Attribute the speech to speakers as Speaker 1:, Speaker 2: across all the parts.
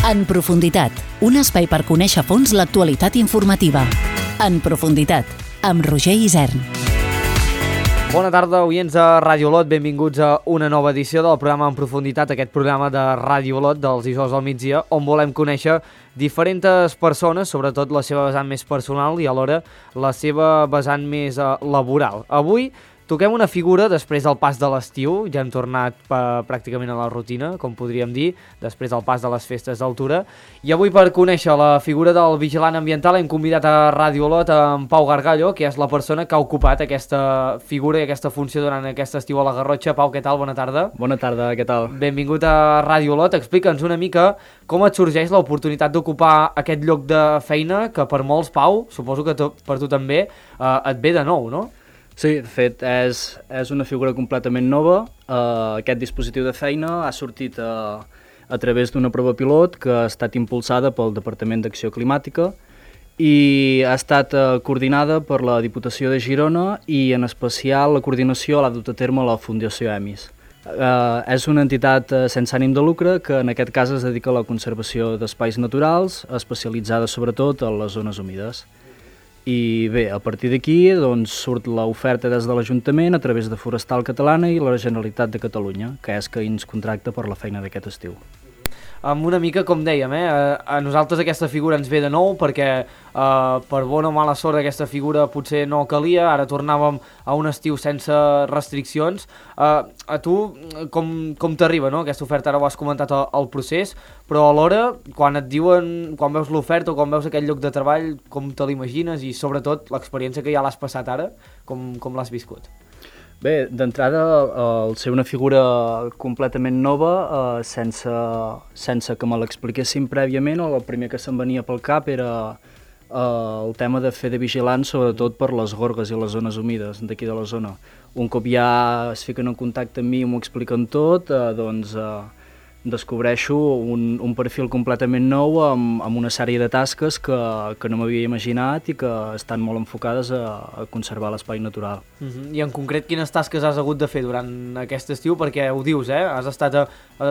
Speaker 1: En profunditat, un espai per conèixer a fons l'actualitat informativa. En profunditat, amb Roger Isern.
Speaker 2: Bona tarda, oients de Ràdio Olot, benvinguts a una nova edició del programa En profunditat, aquest programa de Ràdio Olot dels dijous al migdia, on volem conèixer diferents persones, sobretot la seva vessant més personal i alhora la seva vessant més laboral. Avui toquem una figura després del pas de l'estiu, ja hem tornat pràcticament a la rutina, com podríem dir, després del pas de les festes d'altura, i avui per conèixer la figura del vigilant ambiental hem convidat a Ràdio Olot en Pau Gargallo, que és la persona que ha ocupat aquesta figura i aquesta funció durant aquest estiu a la Garrotxa. Pau, què tal? Bona tarda.
Speaker 3: Bona tarda, què tal?
Speaker 2: Benvingut a Ràdio Olot. Explica'ns una mica com et sorgeix l'oportunitat d'ocupar aquest lloc de feina que per molts, Pau, suposo que per tu també, et ve de nou, no?
Speaker 3: Sí, de fet, és una figura completament nova. Aquest dispositiu de feina ha sortit a través d'una prova pilot que ha estat impulsada pel Departament d'Acció Climàtica i ha estat coordinada per la Diputació de Girona i en especial la coordinació l'ha dut a terme la Fundació EMIS. És una entitat sense ànim de lucre que en aquest cas es dedica a la conservació d'espais naturals, especialitzada sobretot en les zones humides. I bé, a partir d'aquí doncs, surt l'oferta des de l'Ajuntament a través de Forestal Catalana i la Generalitat de Catalunya, que és que ens contracta per la feina d'aquest estiu.
Speaker 2: Una mica, com dèiem, a nosaltres aquesta figura ens ve de nou perquè per bona o mala sort aquesta figura potser no calia, ara tornàvem a un estiu sense restriccions. A tu com t'arriba, no? Aquesta oferta, ara ho has comentat el procés, però alhora quan et diuen, quan veus l'oferta o quan veus aquest lloc de treball, com te l'imagines i sobretot l'experiència que ja l'has passat ara, com l'has viscut?
Speaker 3: Bé, d'entrada, al ser una figura completament nova, sense que me l'expliquessin prèviament, el primer que se'm venia pel cap era el tema de fer de vigilant, sobretot per les gorgues i les zones humides d'aquí de la zona. Un cop ja es fiquen en contacte amb mi i m'ho expliquen tot, doncs descobreixo un perfil completament nou amb una sèrie de tasques que no m'havia imaginat i que estan molt enfocades a conservar l'espai natural.
Speaker 2: I en concret, quines tasques has hagut de fer durant aquest estiu? Perquè ho dius, has estat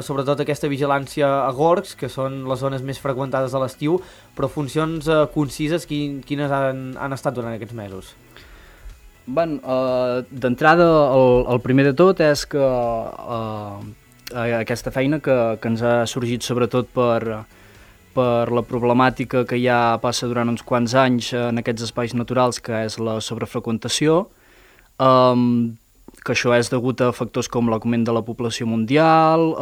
Speaker 2: sobretot aquesta vigilància a gorgs, que són les zones més freqüentades a l'estiu, però funcions concises, quines han estat durant aquests mesos?
Speaker 3: D'entrada, el primer de tot és que aquesta feina que ens ha sorgit sobretot per la problemàtica que ja passa durant uns quants anys en aquests espais naturals, que és la sobrefreqüentació, que això és degut a factors com l'augment de la població mundial,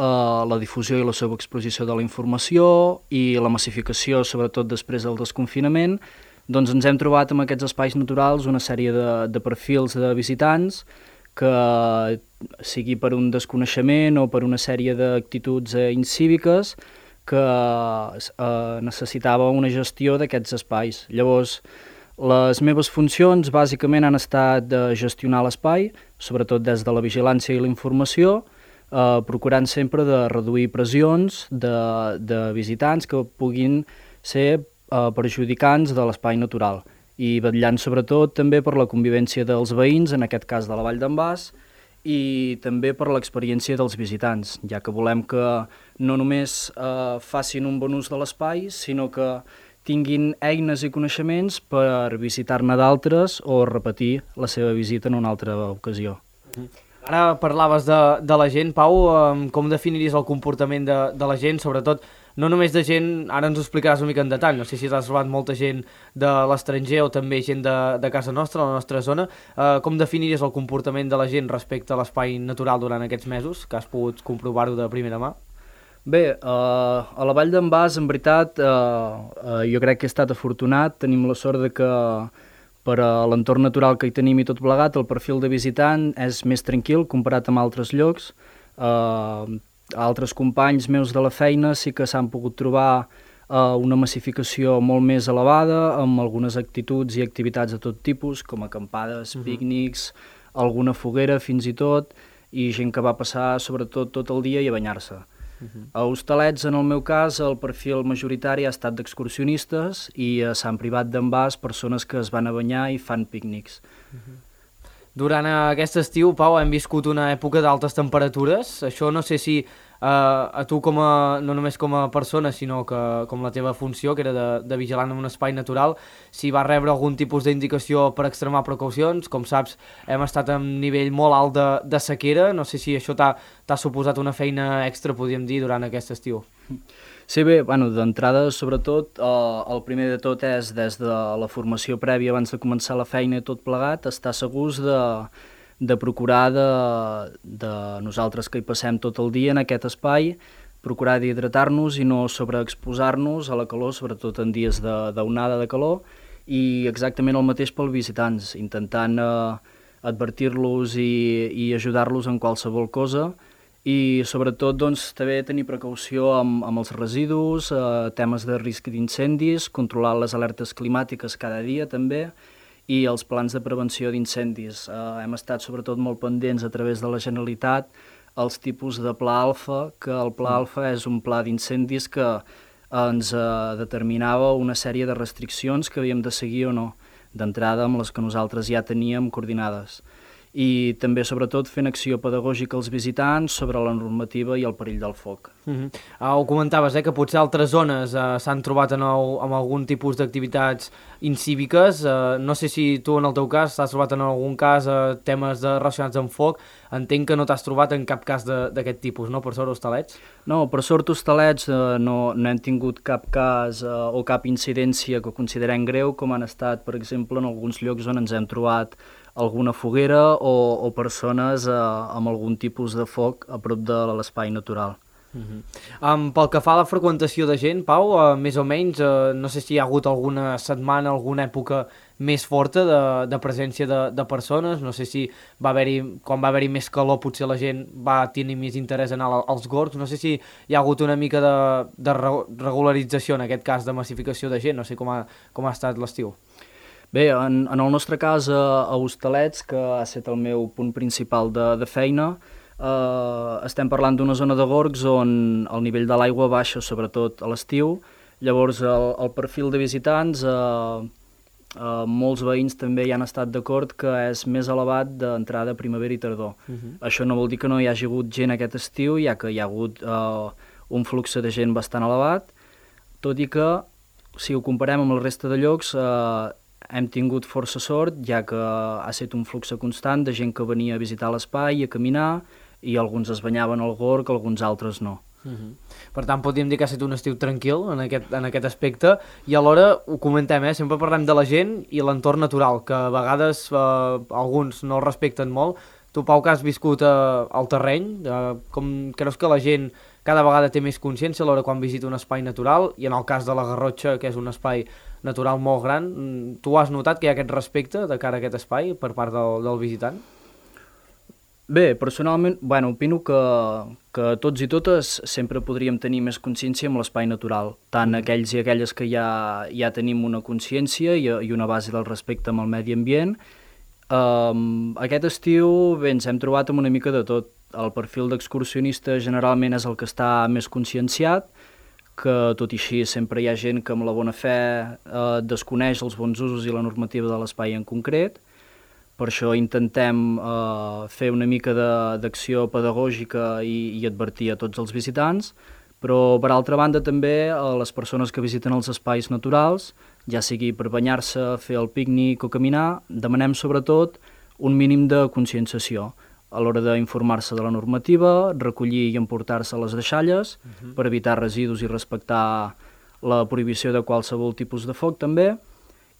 Speaker 3: la difusió i la sobreexposició de la informació i la massificació, sobretot després del desconfinament. Doncs ens hem trobat en aquests espais naturals una sèrie de perfils de visitants que sigui per un desconeixement o per una sèrie d'actituds incíviques que necessitava una gestió d'aquests espais. Llavors, les meves funcions bàsicament han estat de gestionar l'espai, sobretot des de la vigilància i la informació, procurant sempre de reduir pressions de visitants que puguin ser perjudicants de l'espai natural i vetllant sobretot també per la convivència dels veïns, en aquest cas de la Vall d'en Bas, i també per l'experiència dels visitants, ja que volem que no només facin un bon ús de l'espai, sinó que tinguin eines i coneixements per visitar-ne d'altres o repetir la seva visita en una altra ocasió.
Speaker 2: Ara parlaves de la gent, Pau, com definiries el comportament de la gent, sobretot no només de gent, ara ens ho explicaràs una mica en detall, no sé si t'has trobat molta gent de l'estranger o també gent de casa nostra, la nostra zona. Com definiries el comportament de la gent respecte a l'espai natural durant aquests mesos, que has pogut comprovar-ho de primera mà?
Speaker 3: Bé, a la Vall d'en Bas, en veritat, jo crec que he estat afortunat. Tenim la sort de que per a l'entorn natural que hi tenim i tot plegat, el perfil de visitant és més tranquil comparat amb altres llocs. Altres companys meus de la feina sí que s'han pogut trobar una massificació molt més elevada, amb algunes actituds i activitats de tot tipus, com acampades, pícnics, alguna foguera fins i tot, i gent que va passar sobretot tot el dia i a banyar-se. A Hostalets, en el meu cas, el perfil majoritari ha estat d'excursionistes i a Sant Privat d'en Bas, persones que es van a banyar i fan pícnics.
Speaker 2: Durant aquest estiu, Pau, hem viscut una època d'altes temperatures. Això no sé si a tu no només com a persona, sinó que com la teva funció, que era de vigilant en un espai natural, si va rebre algun tipus d'indicació per extremar precaucions. Com saps, hem estat a un nivell molt alt de sequera, no sé si això t'ha suposat una feina extra, podríem dir, durant aquest estiu.
Speaker 3: Sí, bé, d'entrada, sobretot, el primer de tot és, des de la formació prèvia abans de començar la feina i tot plegat, estar segurs de procurar de nosaltres que hi passem tot el dia en aquest espai, procurar d'hidratar-nos i no sobreexposar-nos a la calor, sobretot en dies d'onada de calor, i exactament el mateix pels visitants, intentant advertir-los i ajudar-los en qualsevol cosa, i sobretot també tenir precaució amb els residus, temes de risc d'incendis, controlar les alertes climàtiques cada dia també, i els plans de prevenció d'incendis. Hem estat sobretot molt pendents a través de la Generalitat els tipus de pla alfa, que el pla alfa és un pla d'incendis que ens determinava una sèrie de restriccions que havíem de seguir o no, d'entrada amb les que nosaltres ja teníem coordinades. I també, sobretot, fent acció pedagògica als visitants sobre la normativa i el perill del foc.
Speaker 2: Ho comentaves, que potser altres zones s'han trobat amb algun tipus d'activitats incíviques. No sé si tu, en el teu cas, t'has trobat en algun cas temes relacionats amb foc. Entenc que no t'has trobat en cap cas d'aquest tipus, no? Per sort, Hostalets?
Speaker 3: No, per sort, Hostalets no hem tingut cap cas o cap incidència que considerem greu, com han estat, per exemple, en alguns llocs on ens hem trobat alguna foguera o persones amb algun tipus de foc a prop de l'espai natural.
Speaker 2: Pel que fa a la freqüentació de gent, Pau, més o menys, no sé si hi ha hagut alguna setmana, alguna època més forta de presència de persones, no sé si quan va haver-hi més calor potser la gent va tenir més interès en anar als gorgs, no sé si hi ha hagut una mica de regularització, en aquest cas de massificació de gent, no sé com ha estat l'estiu.
Speaker 3: Bé, en el nostre cas a Hostalets, que ha estat el meu punt principal de feina, estem parlant d'una zona de gorgs on el nivell de l'aigua baixa, sobretot a l'estiu. Llavors, el perfil de visitants, molts veïns també hi han estat d'acord que és més elevat d'entrada primavera i tardor. Això no vol dir que no hi hagi hagut gent aquest estiu, ja que hi ha hagut un flux de gent bastant elevat, tot i que, si ho comparem amb el resta de llocs, hem tingut força sort, ja que ha estat un flux constant de gent que venia a visitar l'espai, a caminar, i alguns es banyaven al gorg, alguns altres no.
Speaker 2: Per tant, podríem dir que ha estat un estiu tranquil en aquest aspecte, i alhora ho comentem, sempre parlem de la gent i l'entorn natural, que a vegades alguns no el respecten molt. Tu, Pau, que has viscut al terreny, com creus que la gent cada vegada té més consciència a l'hora quan visita un espai natural, i en el cas de la Garrotxa, que és un espai natural molt gran, tu has notat que hi ha aquest respecte de cara a aquest espai per part del visitant?
Speaker 3: Bé, personalment, opino que tots i totes sempre podríem tenir més consciència amb l'espai natural, tant aquells i aquelles que ja tenim una consciència i una base del respecte amb el medi ambient. Aquest estiu ens hem trobat amb una mica de tot. El perfil d'excursionista generalment és el que està més conscienciat, que tot i així sempre hi ha gent que amb la bona fe desconeix els bons usos i la normativa de l'espai en concret. Per això intentem fer una mica d'acció pedagògica i advertir a tots els visitants, però per altra banda també a les persones que visiten els espais naturals, ja sigui per banyar-se, fer el pícnic o caminar, demanem sobretot un mínim de conscienciació a l'hora d'informar-se de la normativa, recollir i emportar-se les deixalles per evitar residus i respectar la prohibició de qualsevol tipus de foc també,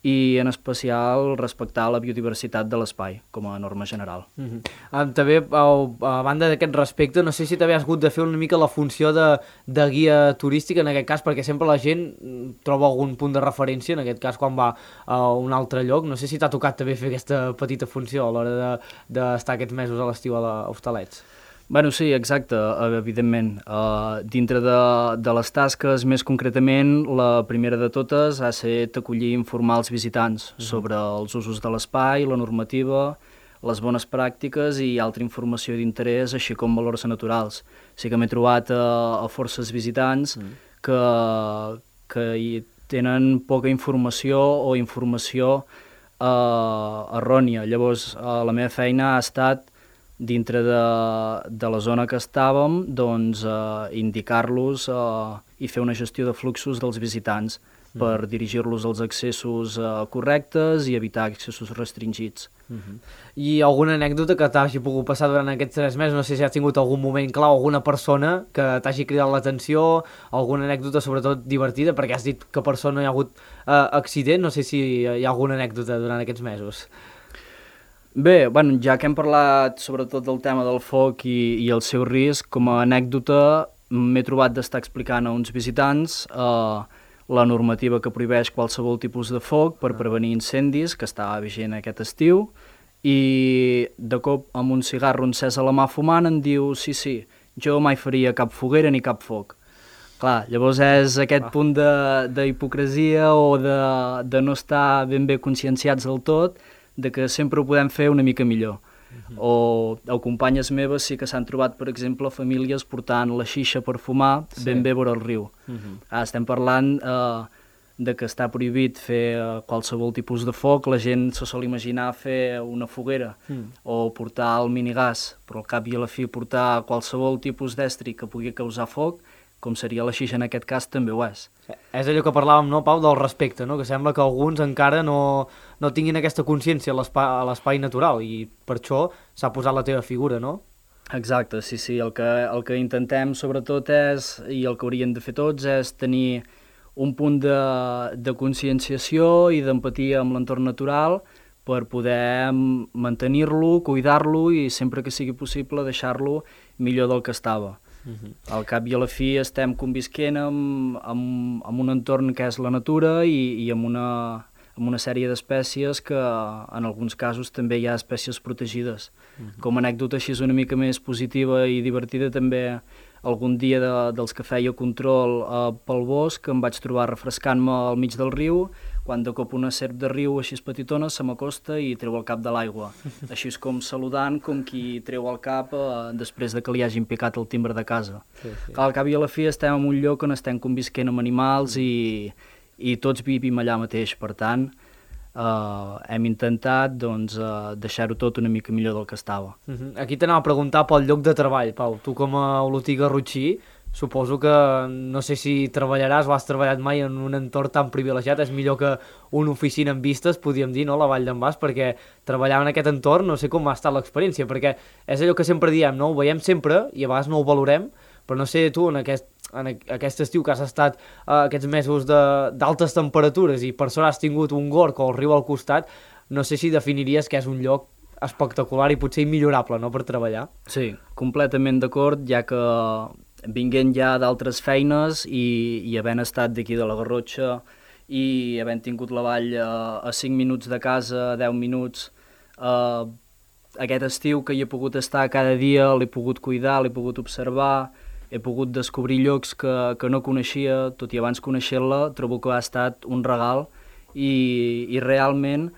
Speaker 3: i en especial respectar la biodiversitat de l'espai com a norma general.
Speaker 2: També, a banda d'aquest respecte, no sé si també has hagut de fer una mica la funció de guia turística en aquest cas, perquè sempre la gent troba algun punt de referència, en aquest cas quan va a un altre lloc. No sé si t'ha tocat també fer aquesta petita funció a l'hora d'estar aquests mesos a l'estiu a Hostalets.
Speaker 3: Sí, exacte, evidentment. Dintre de les tasques, més concretament, la primera de totes ha estat acollir i informar els visitants sobre els usos de l'espai, la normativa, les bones pràctiques i altra informació d'interès, així com valors naturals. Sí que m'he trobat a forces visitants que hi tenen poca informació o informació errònia. Llavors, la meva feina ha estat dintre de la zona que estàvem, doncs indicar-los i fer una gestió de fluxos dels visitants per dirigir-los als accessos correctes i evitar accessos restringits.
Speaker 2: I alguna anècdota que t'hagi pogut passar durant aquests 3 mesos? No sé si has tingut algun moment clau, alguna persona que t'hagi cridat l'atenció, alguna anècdota sobretot divertida, perquè has dit que per sort no hi ha hagut accident, no sé si hi ha alguna anècdota durant aquests mesos.
Speaker 3: Bé, bueno, ja que hem parlat sobretot del tema del foc i el seu risc, com a anècdota m'he trobat d'estar explicant a uns visitants la normativa que prohibeix qualsevol tipus de foc per prevenir incendis, que estava vigent aquest estiu, i de cop amb un cigarro encès a la mà fumant em diu sí, jo mai faria cap foguera ni cap foc. Clar, llavors és aquest punt d'hipocresia o de no estar ben bé conscienciats del tot, de que sempre ho podem fer una mica millor. O companyes meves sí que s'han trobat, per exemple, famílies portant la xixa per fumar ben bé vora el riu. Estem parlant de que està prohibit fer qualsevol tipus de foc, la gent se sol imaginar fer una foguera o portar el minigàs, però al cap i a la fi portar qualsevol tipus d'estri que pugui causar foc, com seria la xixa en aquest cas, també ho és.
Speaker 2: És allò que parlàvem, no, Pau, del respecte, no? Que sembla que alguns encara no tinguin aquesta consciència a l'espai natural i per això s'ha posat la teva figura, no?
Speaker 3: Exacte, sí, el que intentem sobretot és, i el que haurien de fer tots, és tenir un punt de conscienciació i d'empatia amb l'entorn natural per poder mantenir-lo, cuidar-lo i sempre que sigui possible deixar-lo millor del que estava. Al cap i a la fi estem convisquent amb un entorn que és la natura i amb una sèrie d'espècies que en alguns casos també hi ha espècies protegides. Com a anècdota així una mica més positiva i divertida, també algun dia dels que feia control pel bosc em vaig trobar refrescant-me al mig del riu quan de cop una serp de riu així petitona se m'acosta i treu el cap de l'aigua, així com saludant com qui treu el cap després de que li hagin picat el timbre de casa. Al cap i a la fi estem en un lloc on estem convisquent amb animals i tots vivim allà mateix, per tant hem intentat deixar-ho tot una mica millor del que estava.
Speaker 2: Aquí t'anava a preguntar pel lloc de treball, Pau. Tu com a olotí garrotxí, suposo que no sé si treballaràs o has treballat mai en un entorn tan privilegiat, és millor que una oficina amb vistes, podríem dir, no?, la Vall d'en Bas, perquè treballar en aquest entorn no sé com ha estat l'experiència, perquè és allò que sempre diem, no?, ho veiem sempre i a vegades no ho valorem, però no sé tu en aquest estiu que has estat aquests mesos d'altes temperatures i per sort has tingut un gorg o el riu al costat, no sé si definiries que és un lloc espectacular i potser immillorable, no?, per treballar.
Speaker 3: Sí, completament d'acord, ja que vinguent ja d'altres feines i havent estat d'aquí de la Garrotxa i havent tingut la vall a 5 minuts de casa, 10 minuts, aquest estiu que hi he pogut estar cada dia, l'he pogut cuidar, l'he pogut observar, he pogut descobrir llocs que no coneixia, tot i abans conèixer-la, trobo que ha estat un regal i realment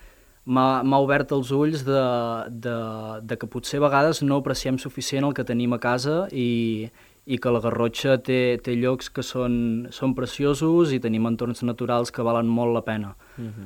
Speaker 3: m'ha obert els ulls de que potser a vegades no apreciem suficient el que tenim a casa i que la Garrotxa té llocs que són preciosos i tenim entorns naturals que valen molt la pena.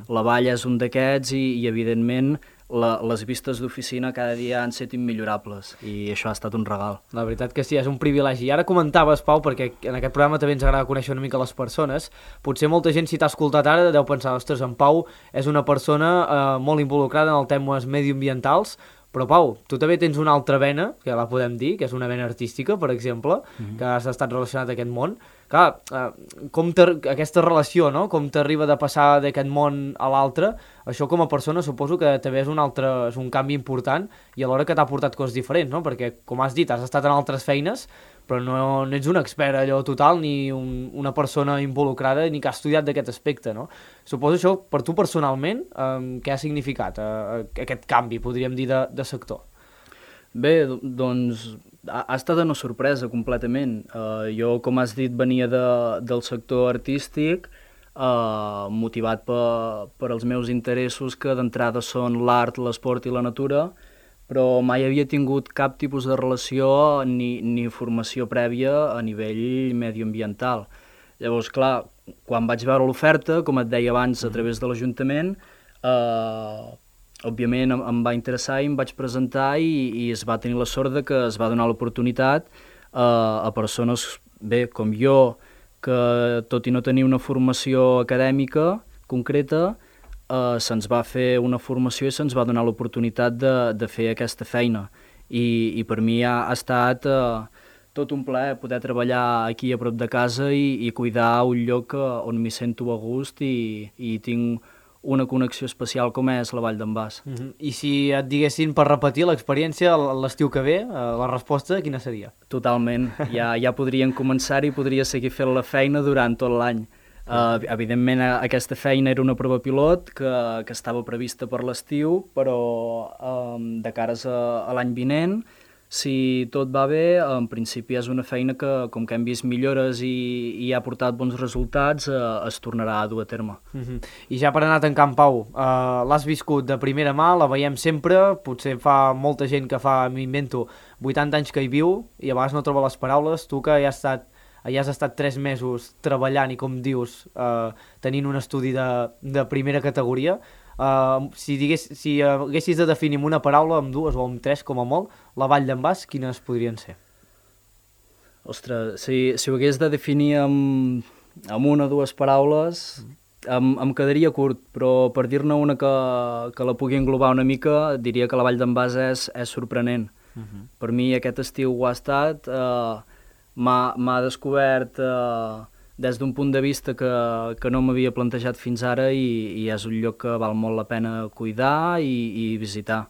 Speaker 3: La vall és un d'aquests i evidentment, les vistes d'oficina cada dia han estat immillorables i això ha estat un regal.
Speaker 2: La veritat que sí, és un privilegi. I ara comentaves, Pau, perquè en aquest programa també ens agrada conèixer una mica les persones, potser molta gent, si t'ha escoltat ara, deu pensar, ostres, en Pau és una persona molt involucrada en els temes mediambientals, però Pau, tu també tens una altra vena, que la podem dir, que és una vena artística, per exemple, que has estat relacionat a aquest món. Clar, aquesta relació, no?, com t'arriba de passar d'aquest món a l'altre, això com a persona suposo que també és un canvi important i alhora que t'ha portat coses diferents, no?, perquè, com has dit, has estat en altres feines, però no ets un expert allò total ni una persona involucrada ni que ha estudiat d'aquest aspecte, no? Suposo això, per tu personalment, què ha significat aquest canvi, podríem dir, de sector?
Speaker 3: Bé, doncs ha estat una sorpresa completament. Jo, com has dit, venia del sector artístic, motivat per els meus interessos, que d'entrada són l'art, l'esport i la natura, però mai havia tingut cap tipus de relació ni formació prèvia a nivell medioambiental. Llavors, clar, quan vaig veure l'oferta, com et deia abans, a través de l'Ajuntament, òbviament em va interessar i em vaig presentar i es va tenir la sort de que es va donar l'oportunitat a persones, bé, com jo, que tot i no tenir una formació acadèmica concreta, se'ns va fer una formació i se'ns va donar l'oportunitat de fer aquesta feina. I per mi ha estat tot un plaer poder treballar aquí a prop de casa i cuidar un lloc on m'hi sento a gust i tinc una connexió especial com és la Vall d'en Bas.
Speaker 2: I si et diguessin per repetir l'experiència l'estiu que ve, la resposta quina seria?
Speaker 3: Totalment, ja podrien començar i podria seguir fent la feina durant tot l'any. Evidentment aquesta feina era una prova pilot que estava prevista per l'estiu, però de cares a l'any vinent, si tot va bé, en principi és una feina que, com que hem vist millores i ha portat bons resultats, es tornarà a dur a terme.
Speaker 2: I ja per anar tancant, Pau, l'has viscut de primera mà, la veiem sempre, potser fa molta gent que fa, m'invento, 80 anys que hi viu i a vegades no troba les paraules, tu que ja has estat 3 mesos treballant i, com dius, tenint un estudi de primera categoria, si haguessis de definir amb una paraula, amb 2 o amb 3 com a molt, la Vall d'en Bas, quines podrien ser?
Speaker 3: Ostres, si ho hagués de definir amb 1 o 2 paraules, em quedaria curt, però per dir-ne una que la pugui englobar una mica, diria que la Vall d'en Bas és sorprenent. Per mi aquest estiu ho ha estat, m'ha descobert des d'un punt de vista que no m'havia plantejat fins ara i és un lloc que val molt la pena cuidar i visitar.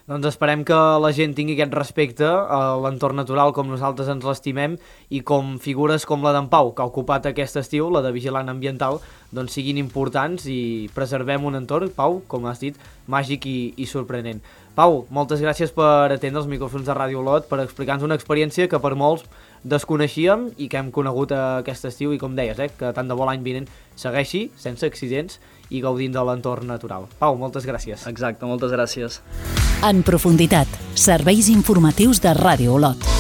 Speaker 2: Doncs esperem que la gent tingui aquest respecte a l'entorn natural com nosaltres ens l'estimem i com figures com la d'en Pau, que ha ocupat aquest estiu, la de vigilant ambiental, doncs siguin importants i preservem un entorn, Pau, com has dit, màgic i sorprenent. Pau, moltes gràcies per atendre els micròfons de Ràdio Olot, per explicar-nos una experiència que per molts desconeixíem i que hem conegut aquest estiu i, com deies, que tant de bo l'any vinent segueixi, sense accidents i gaudint de l'entorn natural. Pau, moltes gràcies.
Speaker 3: Exacte, moltes gràcies.
Speaker 1: En profunditat, serveis informatius de Ràdio Olot.